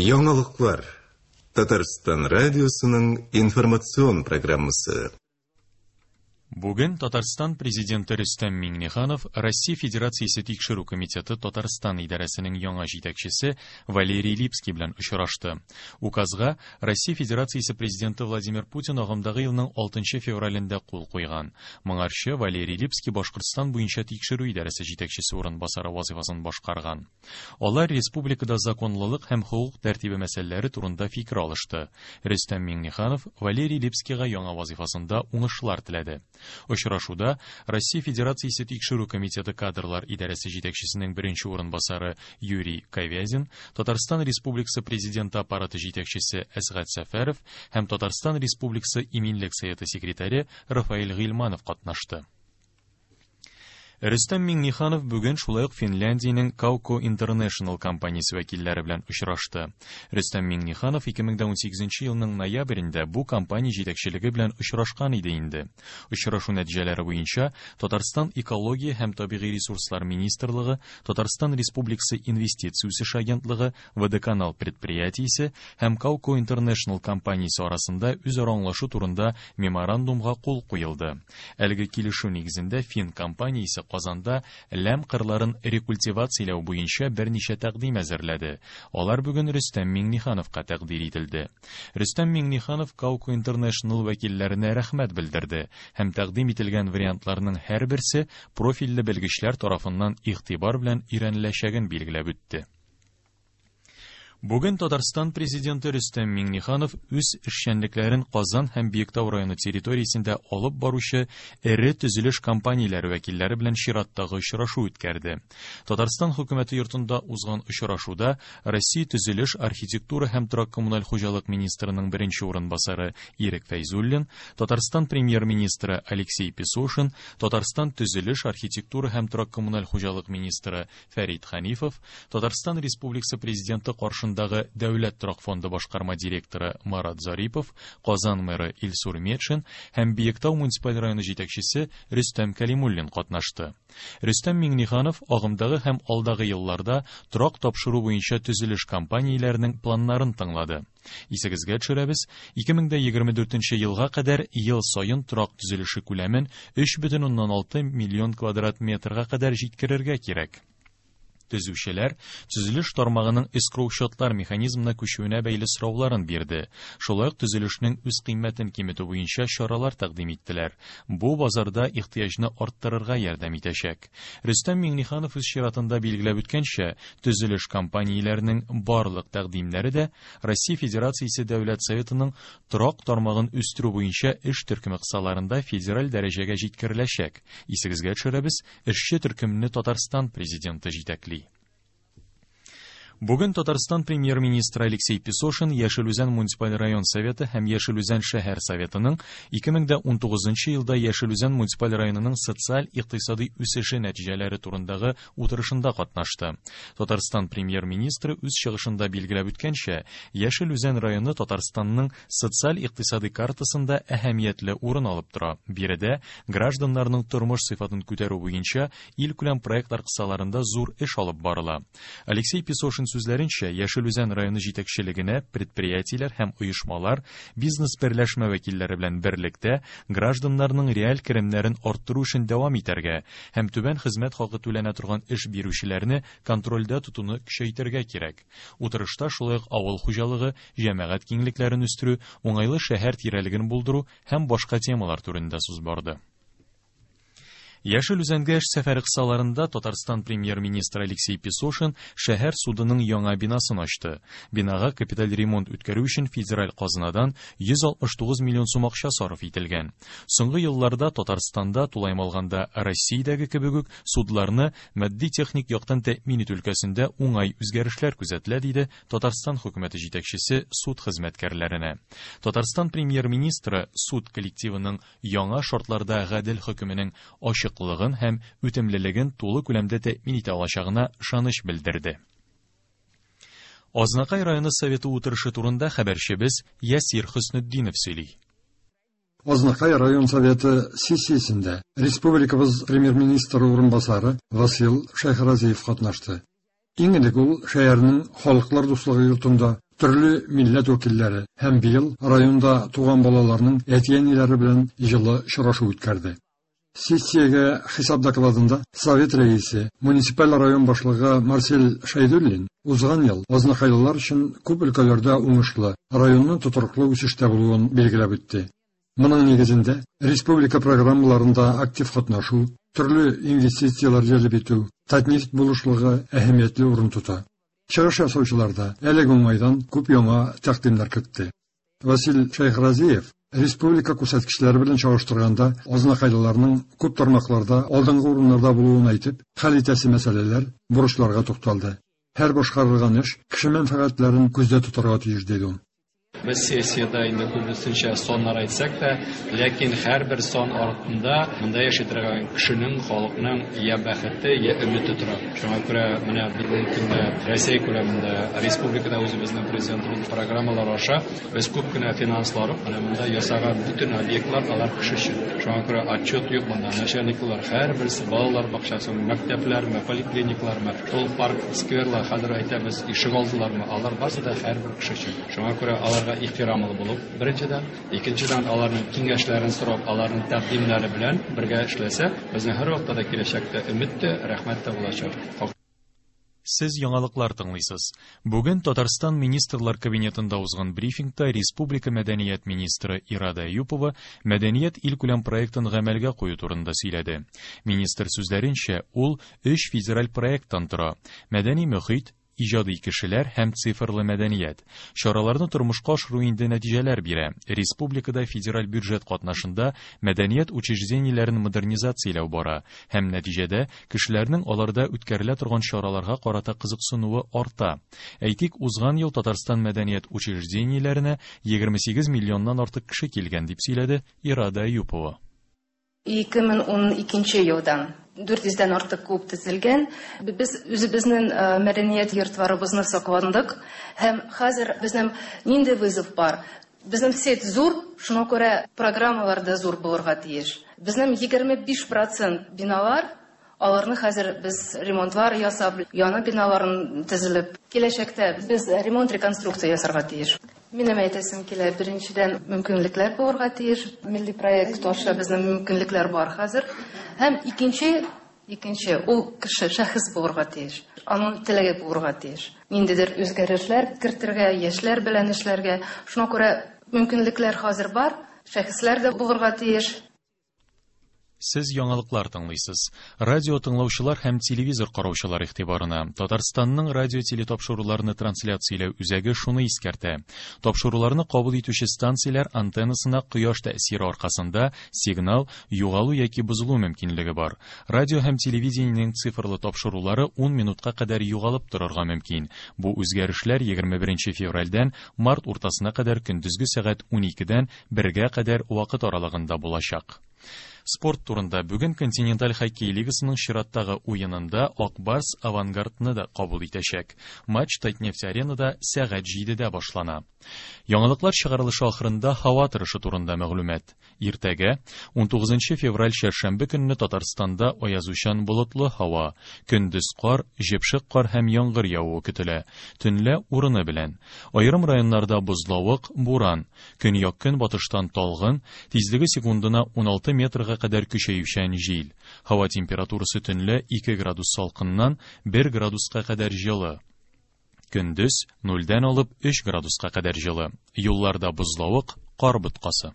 Яңалыклар. Татарстан радиосының информацион программасы. Бүген Татарстан Президенты Рөстәм Миңнеханов Россия Федерациясе Тикшерү комитеты Татарстан идарәсенең яңа җитәкчесе Валерий Липский белән очрашты. Указга Россия Федерациясе Президенты Владимир Путин агымдагы елның 6 февралендә кул куйган. Моңарчы Валерий Липский Башкортстан буенча тикшерү идарәсе җитәкчесе урынбасары вазифасын башкарган. Алар республикада законлылык һәм хокук тәртибе мәсьәләләре турында фикер алышты. Рөстәм Миңнеханов Валерий Липскийга яңа вазифасында уңышлар теләде. Очрашуда Россия Федерациясе Тикшерү комитеты кадрлар идарәсе җитәкчесенең беренче урынбасары Юрий Ковязин, Татарстан Республикасы Президенты аппараты җитәкчесе Әсгать Сәфәров һәм Татарстан Республикасы Иминлек советы секретаре Рафаэль Гыйльманов катнашты. Рөстәм Миңнеханов бүген шулай ук Финляндиянең Kauko International компаниясе вәкилләре белән очрашты. Рөстәм Миңнеханов 2018 елның ноябрендә бу компания җитәкчелеге белән очрашкан иде инде. Очрашу нәтиҗәләре буенча Татарстан Экология һәм табигый ресурслар министрлыгы, Татарстан Республикасы Инвестиция үсеше агентлыгы, Водоканал предприятиесе һәм Kauko International компаниясе арасында үзара аңлашу турында меморандумга кул куелды. Әлеге килешү нигезендә фин компаниясе Казанда ләм кырларын рекультивацияләү буенча берничә тәкъдим әзерләде. Алар бүген Рөстәм Миңнехановка тәкъдир ителде. Рөстәм Миңнеханов Kauko International вәкилләренә рәхмәт белдерде һәм тәкъдим ителгән вариантларның һәрберсе профильле белгечләр тарафыннан игътибар белән өйрәнеләчәген билгеләп үтте. Бүген Татарстан Президенты Рөстәм Миңнеханов үз эшчәнлекләрен Казан һәм Биектау районы территориясендә алып баручы эре төзелеш компанияләре вәкилләре белән чираттагы очрашу үткәрде. Татарстан хөкүмәте йортында узган очрашуда Россия төзелеш, архитектура һәм торак-коммуналь хуҗалык министрының беренче урынбасары Ирек Фәйзуллин, Татарстан премьер-министры Алексей Песошин, Татарстан төзелеш, архитектура һәм торак-коммуналь хуҗалык министры Фәрит Ханифов, Татарстан Республикасы Президенты каршындагы Дәүләт торак фонды башкарма директоры Марат Зарипов, Казан мэры Илсур Метшин һәм Биектау муниципаль районы җитәкчесе Рөстәм Кәлимуллин катнашты. Рөстәм Миңнеханов агымдагы һәм алдагы елларда торак тапшыру буенча төзелеш компанияләренең планнарын тыңлады. Исегезгә төшерәбез, 2024 елга кадәр ел саен торак төзелеше күләмен 3,6 миллион квадрат метрга кадәр җиткерергә кирәк. Төзүчеләр төзелеш тармагының эскроу-счетлар механизмына күчүенә бәйле сорауларын бирде. Шулай ук төзелешнең үз кыйммәтен киметү буенча чаралар тәкъдим иттеләр. Бу базарда ихтыяҗны арттырырга ярдәм итәчәк. Рөстәм Миңнеханов үз чиратында билгеләп үткәнчә, төзелеш компанияләренең барлык тәкъдимнәре дә Россия Федерациясе Дәүләт Советының торак тармагын үстерү буенча эш төркеме кысаларында федераль дәрәҗәгә җиткереләчәк. Исегезгә төшерәбез, эшче төркемне Татарстан президенты җитәкли. Бүген Татарстан премьер-министры Алексей Песошин Яшел Үзән муниципаль район советы һәм Яшел Үзән шәһәр советының 2019 елда Яшел Үзән муниципаль районының социаль-икътисади үсеше нәтиҗәләре турындагы утырышында катнашты. Татарстан премьер-министры үз чыгышында билгеләп үткәнчә, Яшел Үзән районы Татарстанның социаль-икътисади картасында әһәмиятле урын алып тора. Биредә гражданнарның тормыш сыйфатын күтәрү буенча илкүләм проектлар кысаларында зур эш алып барыла. Алексей Песошин сүзләренчә, Яшел Үзән районы җитәкчелегенә предприятиеләр һәм оешмалар, бизнес берләшмә вәкилләре белән берлектә гражданнарның реаль керемнәрен арттыру эшен дәвам итәргә һәм түбән хезмәт хакы түләнә торган эш бирүчеләрне контрольдә тотуны көчәйтергә кирәк. Утырышта шулай ук авыл хуҗалыгы, җәмәгать киңлекләрен үстерү, уңайлы шәһәр тирәлеген булдыру һәм башка темалар турында сүз барды. Яшел Үзәнгә эш сәфәре кысаларында Татарстан премьер-министры Алексей Песошин шәһәр судының яңа бинасын ачты. Бинага капиталь ремонт үткәрү өчен федераль казынадан 169 миллион сум акча сарыф ителгән. Соңгы елларда Татарстанда, тулаем алганда Россиядәге кебек үк, судларны матди-техник яктан тәэмин итү өлкәсендә уңай үзгәрешләр күзәтелә, диде Татарстан хөкүмәте җитәкчесе суд хезмәткәрләренә. Татарстан премьер-министры суд коллективының яңа шартларда гадел хөкеменең ачыклыгын һәм үтемлелеген тулы күләмдә тәэмин итә алачагына ышаныч белдерде. Азнакай районы советы утырышы турында хәбәрчебез Ясир Хөснетдинов сөйли. Азнакай район советы сессиясендә республикабыз премьер-министры урынбасары Васил Шәйхразиев катнашты. Иң элек ул шәһәрнең Халыклар дуслыгы йортында төрле милләт вәкилләре һәм быел районда туган балаларның әти-әниләре белән җылы очрашу үткәрде. Сессиягә хисап докладында Совет рәисе, муниципаль район башлыгы Марсель Шәйдуллин узган ел азнакайлылар өчен күп өлкәләрдә уңышлы, районның тотрыклы үсештә булуын билгеләп үтте. Моның нигезендә республика программаларында актив катнашу, төрле инвестицияләр җәлеп итү, Татнефть булышлыгы әһәмиятле урын тота. Чыгыш ясаучылар да әлеге уңайдан күп яңа тәкъдимнәр кертте. Васил Шәйхразиев республика күрсәткечләре белән чагыштырганда азнакайлыларның күп тармакларда алдынгы урыннарда булуын әйтеп, хәл итәсе мәсьәләләр, бурычларга тукталды. Һәр башкарылган эш кеше мәнфәгатьләрен күздә тотарга тиеш, диде ул. Без сессиядә инде күбесенчә саннар әйтсәк тә, ләкин һәрбер сан артында монда яши торган кешенең, халыкның я бәхете, я өмете тора. Шуңа күрә менә бүгенге көндә Россия күләмендә, республикада үзебезнең президентыбыз программалар аша без күп кенә финанслар менә монда ясаган бөтен объектлар алар кеше өчен. Шуңа күрә отчет юк монда. Начальниклар һәрберсе балалар бакчасымы, мәктәпләрме, поликлиниклармы, шул парк, скверлар, хәзер әйтәбез, ишегалдылармы, алар барысы да һәрбер кеше өчен. Шуңа күрә аларга ихтирамлы булып, беренчедән, икенчедән, аларның киңәшләрен сорап, аларның тәкъдимнәре белән бергә эшләсәк, безнең һәрвакытта да киләчәктә өмет тә, рәхмәт тә булачак. Сез яңалыклар тыңлыйсыз. Бүген Татарстан Министрлар Кабинетында узган брифингта республика мәдәният министры Ирада Әюпова Мәдәният илкүләм проектын гамәлгә кую турында сөйләде. Министр сүзләренчә, ул өч федераль проекттан тора: Мәдәни мөхит, иҗади кешеләр һәм цифрлы мәдәният. Чараларны тормышка ашыру инде нәтиҗәләр бирә. Республикада федераль бюджет катнашында мәдәният учреждениеләрен модернизацияләү бара һәм нәтиҗәдә кешеләрнең аларда үткәрелә торган чараларга карата кызыксынуы арта. Әйтик, узган ел Татарстан мәдәният учреждениеләренә 28 миллионнан артык кеше килгән, дип сөйләде Ирада Әюпова. 2012 елдан 400 дән артык клуб төзелгән. Без үзебезнең мәдәният йортларыбызны сакландык һәм хәзер безнең нинди вызов бар? Безнең сеть зур, шуңа күрә программалар да зур булырга тиеш. Безнең 25% биналар, аларны хәзер без ремонтлар ясап, яңа биналарын төзелеп, киләчәктә без ремонт, реконструкция ясарга тиеш. Минем әйтәсем килә, беренчедән, мөмкинлекләр булырга тиеш. Милли проект аша безнең мөмкинлекләр бар хәзер. Һәм икенче, икенче, ул кеше, шәхес булырга тиеш. Аның теләге булырга тиеш. Ниндидер үзгәрешләр кертергә, яшьләр белән эшләргә. Шуңа күрә мөмкинлекләр хәзер бар, шәхесләр дә булырга тиеш. Сез яңалыклар тыңлыйсыз. Радио тыңлаучылар һәм телевизор караучылар игътибарына Татарстанның радио телетапшыруларны трансляцияләү үзәге шуны искәртә. Тапшыруларны кабул итүче станцияләр антеннасына кояш тәэсире аркасында сигнал югалу яки бозылу мөмкинлеге бар. Радио һәм телевидениенең цифрлы тапшырулары 10 минутка кадәр югалып торырга мөмкин. Бу үзгәрешләр 21 февральдән март уртасына кадәр көндезге сәгать 12-дән 1-гә кадәр вакыт аралыгында булачак. Спорт турында бүген Континенталь хоккей лигасының чираттагы уенында Ак Барс Авангардны да кабул итәчәк. Матч Татнефть аренада сәгать 7-дә башлана. Яңалыклар чыгарылышы ахырында һава торышы турында мәгълүмат. Иртәгә 19 февраль чәршәмбе көнне Татарстанда аязучан болытлы һава, көндез кар, җепшек кар һәм яңгыр явуы көтелә. Төнлә урыны белән. Аерым районнарда бозлавык, буран, көньяк-көнбатыштан талгын, тизлеге секундына 16 метрга кадәр көчәючән җил. Һава температурасы төнлә 2 градус салкыннан 1 градуска кадәр җылы. Көндез 0-дән алып 3 градуска кадәр җылы. Юлларда бозлавык, кар боткасы.